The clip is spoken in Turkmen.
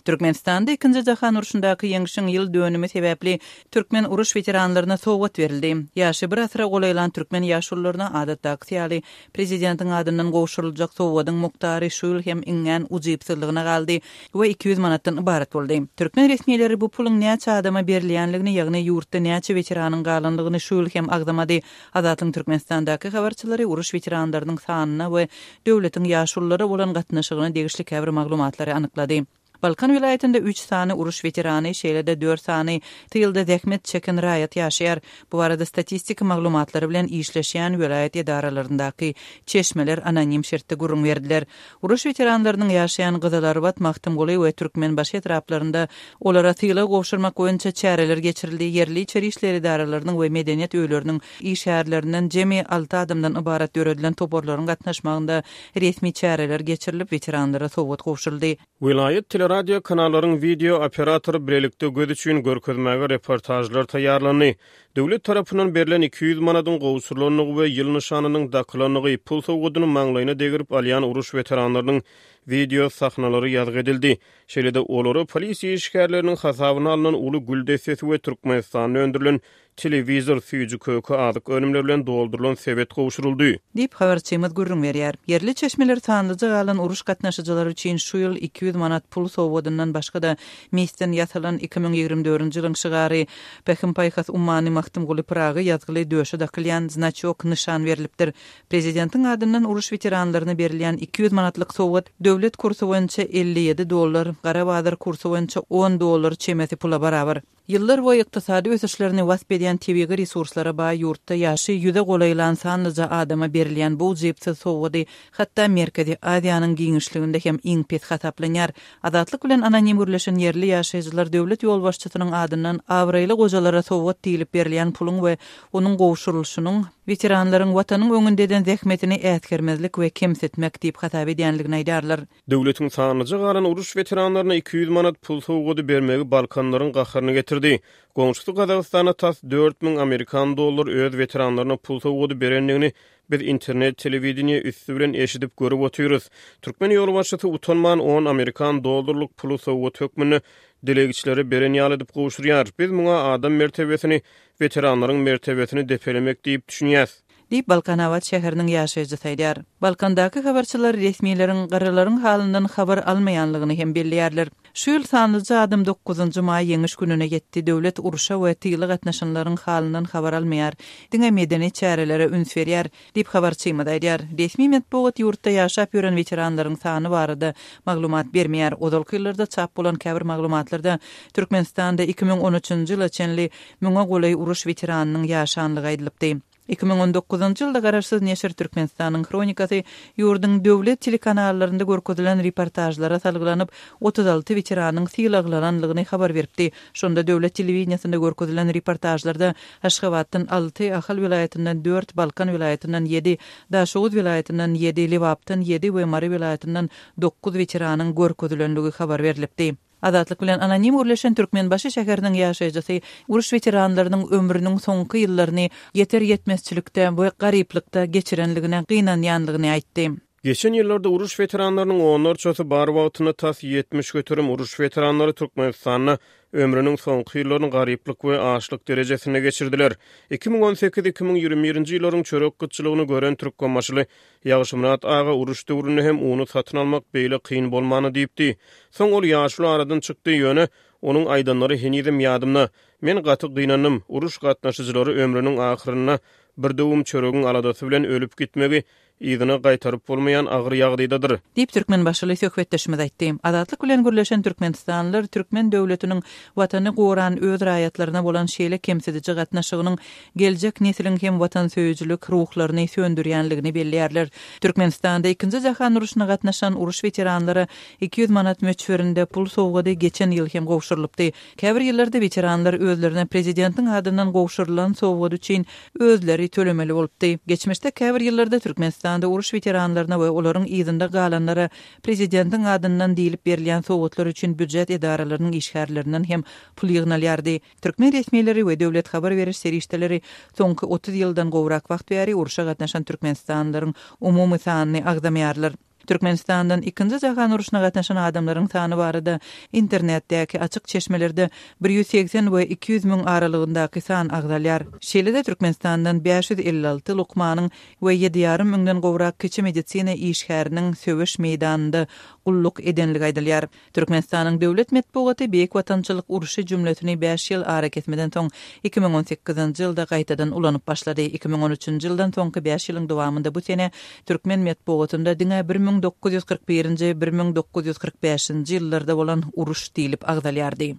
Türkmenistanda Ikinji jahan urşundaky Ýeňşiň ýyl dönümi sebäpli türkmen uruş weteranlaryna sowgat berildi. Ýaşy bir asyra golaýlan türkmen ýaşulularyna adatdakysy ýaly prezidentiň adyndan gowşuryljak sowgadyň mukdary şu ýyl hem iňňän ujypsyzlygyna galdy we 200 manatdan ybarat boldy. Türkmen resmileri bu puluň näçe adama berilýänligini, ýagny ýurtda näçe weteranyň galanlygyny şu ýyl hem agzamady. Azatlygyň Türkmenistandaky habarçylary uruş weteranlarynyň sanyna we döwletiň ýaşululara bolan gatnaşygyna degişli käbir maglumatlary anyklady. Balkan welaýatynda üç sany uruş weterany, şeýle-de dört sany tylda zähmet çeken raýat ýaşaýar. Bu barada statistik maglumatlary bilen işleşýän welaýat edaralaryndaky çeşmeler anonim şertde gürrüň berdiler. Uruş weteranlarynyň ýaşaýan Gyzylarbat, Magtymguly we Türkmenbaşy etraplarynda olara sylag gowşurmak boýunça çäreler geçirildi, ýerli içeri işler edaralarynyň we medeniýet öýleriniň işgärlerinden jemi alty adamdan ybarat döredilen toparlaryň gatnaşmagynda resmi çäreler geçirilip, weteranlara sowgat gowşuryldy. Welaýat teleradio kanallaryň wideo operatory bilelikde göz üçin görkezmäge reportažlar taýýarlandy. Döwlet tarapyndan berlen 200 manadyň gowşurylandygy we ýyl nyşanynyň dakylandygy, pul sowgadyny maňlaýyna degirip alýan uruş weteranlarynyň wideo sahnalary ýazgy edildi. Şeýle-de olara polisiýa işgärleriniň hasabyna alnan uly gül dessesi we Türkmenistanda öndürilen Telewizor, süýji-köke, azyk önümleri bilen doldurylan sebet gowşuryldy. Diýip, habarçymyz gürrüň berýär. Ýerli çeşmeler sanlyja galan uruş gatnaşyjylary üçin şu ýyl 200 manat pul sowgadyndan başga-da, misden ýasalan 2024-nji ýylyň şygary, Pähim-paýhas ummany Magtymguly Pyragy ýazgyly döşe dakylýan znaçok, nyşan berlipdir. Prezidentiň adyndan uruş weteranlaryna berilýän 200 manatlyk sowgat döwlet kursy boýunça 57 dollar, gara bazar kursy boýunça on dollar çemesi pula barabar. Ýyllar boýy ykdysady ösüşlerini wasp edýän tebigy resurslara baý ýurtda ýaşy ýüze golaýlan sanlyja adama berilýän bu ujypsyz sowgady hatda Merkezi Aziýanyň giňişliginde hem iň pes hasaplanýar. Azatlyk bilen anonim gürleşen ýerli ýaşaýjylar döwlet ýolbaşçysynyň adyndan abraýly gojalara sowgat diýlip berilýän puluň we onuň gowşurylyşynyň weteranlaryň Watanyň öňünde eden zähmetini äsgermezlik we kemsitmek diýip hasap edýänligini aýdarlar. Döwletiň sanlyja galan uruş weteranlaryna 200 manat pul sowgady bermegi balkanlaryň gaharyny getirdi. Goňşusy Gazagystanda tas 4000 amerikan dollar öz weteranlaryna pul sowgady berendigini biz internet telewideniýe üsti bilen eşidip görüp otyrys. Türkmen ýolbaşçysy utanman on amerikan dollarlyk puly sowgat hökmünde dilegçilere beren ýaly edip gowşurýar. Biz muňa adam mertebesini, weteranlaryň mertebesini depelemek diýip düşünýäs. Diýip, Balkanabat şäheriniň ýaşaýjysy aýdýar. Balkandaky habarçylar resmileriň garrylaryň halyndan habar almaýanlygyny hem belleýärler. Şu ýyl sanlyja adam dokuzynjy maý Ýeňiş gününe ýetdi. Döwlet urşa we tyla gatnaşanlaryň halyndan habar almaýar. Diňe medeni çärelere üns berýär, diýip, habarçymyz aýdýar. Resmi metbugat ýurtda ýaşap ýören weteranlaryň sany barada maglumat bermeýär. Ozalky ýyllarda çap bolan käbir maglumatlarda Türkmenistanda 2013-nji ýyla çenli müňe golaý uruş weteranynyň ýaşanlygy aýdylypdy. 2019-njy ýylda garaşsyz neşir Türkmenistanyň hronikasy ýurduň döwlet telekanallarynda görkezilen reportažlara salgylanyp, 36 weteranyň sylaglananlygyny habar beripdi. Şonda döwlet telewideniýesinde görkezilen reportažlarda Aşgabatdan alty, Ahal welaýatyndan dört, Balkan welaýatyndan ýedi, Daşoguz welaýatyndan ýedi, Lebapdan ýedi we Mary welaýatyndan dokuz weteranyň görkezilenligi habar berlipdi. Azatlyk bilen anonim gürleşen Türkmenbaşy şäheriniň ýaşaýjysy uruş weteranlarynyň ömrüniň soňky ýyllaryny ýeter-ýetmezçilikde we garyplykda geçirenligine gynanýanlygyny aýtdy. Geçen ýyllarda uruş weteranlarynyň onlarçasy bar wagtynda tas 70% uruş weteranlary Türkmenistanda ömrüniň soňky ýyllaryny garyplyk we açlyk derejesinde geçirdiler. 2018, 2021-nji ýyllaryň çörek gytçylygyny gören türkmenbaşyly Ýagşymyrat aga uruş döwründe hem uny satyn almak beýle kyn bolmandy diýipdi. Soň ol ýaşuly aradan çykdy, ýöne onuň aýdanlary henizem ýadymda. Men gaty gynandym. Uruş gatnaşyjylary ömrüniň ahyrynda bir döwüm çöregiň aladasy bilen ölüp gitmegi yzyna gaýtaryp bolmaýan agyr ýagdaýdadyr. Diýip, türkmenbaşyly söhbetdeşimiz aýtdy. Azatlyk bilen gürleşen türkmenistanlylar türkmen döwletiniň Watany goran öz raýatlaryna bolan şeýle kemsidiji gatnaşygynyň geljek nesliň hem watansöýüjilik ruhlaryny söndürýänligini belleýärler. Türkmenistanda Ikinji jahan urşuna gatnaşan uruş weteranlara 200 manat möçberinde pul sowgady geçen ýyl hem gowşurylypdy. Käbir ýyllarda weteranlar özlerine prezidentiň adyndan gowşurylan sowgat üçin özleri tölemeli bolupdy. Geçmişde käbir ýyllarda Türkmenistanda uruş weteranlaryna we olaryň yzynda galanlara prezidentiň adyndan diýlip berilýän sowgatlar üçin býujet edaralarynyň işgärlerinden hem pul ýygnalýardy. Türkmen resmileri we döwlet habar beriş serişdeleri soňky 30 ýyldan gowrak wagt bäri urşa gatnaşan türkmenistanlylaryň umumy sanyny agzamaýarlar. Türkmenistandan Ikinji jahan urşuna gatnaşan adamlaryň sany barada internetdäki açyk çeşmelerde 180 we 200 müň aralygyndaky san agzalýar. Şeýle-de Türkmenistandan 556 lukmanyň we ýedi ýarym müňden gowrak kiçi medisina işgäriniň söweş meýdanynda gulluk edenligi aýdylýar. Türkmenistanyň döwlet metbugaty Beýik Watançylyk urşy jümlesini bäş ýyl arakesmeden soň, 2018-nji ýylda gaýtadan ulanyp başlady. 2013-nji ýyldan soňky bäş ýylyň dowamynda bu sene türkmen metbugatynda diňe 1941-nji, 1945-nji ýyllarda bolan uruş diýlip agzalýardy.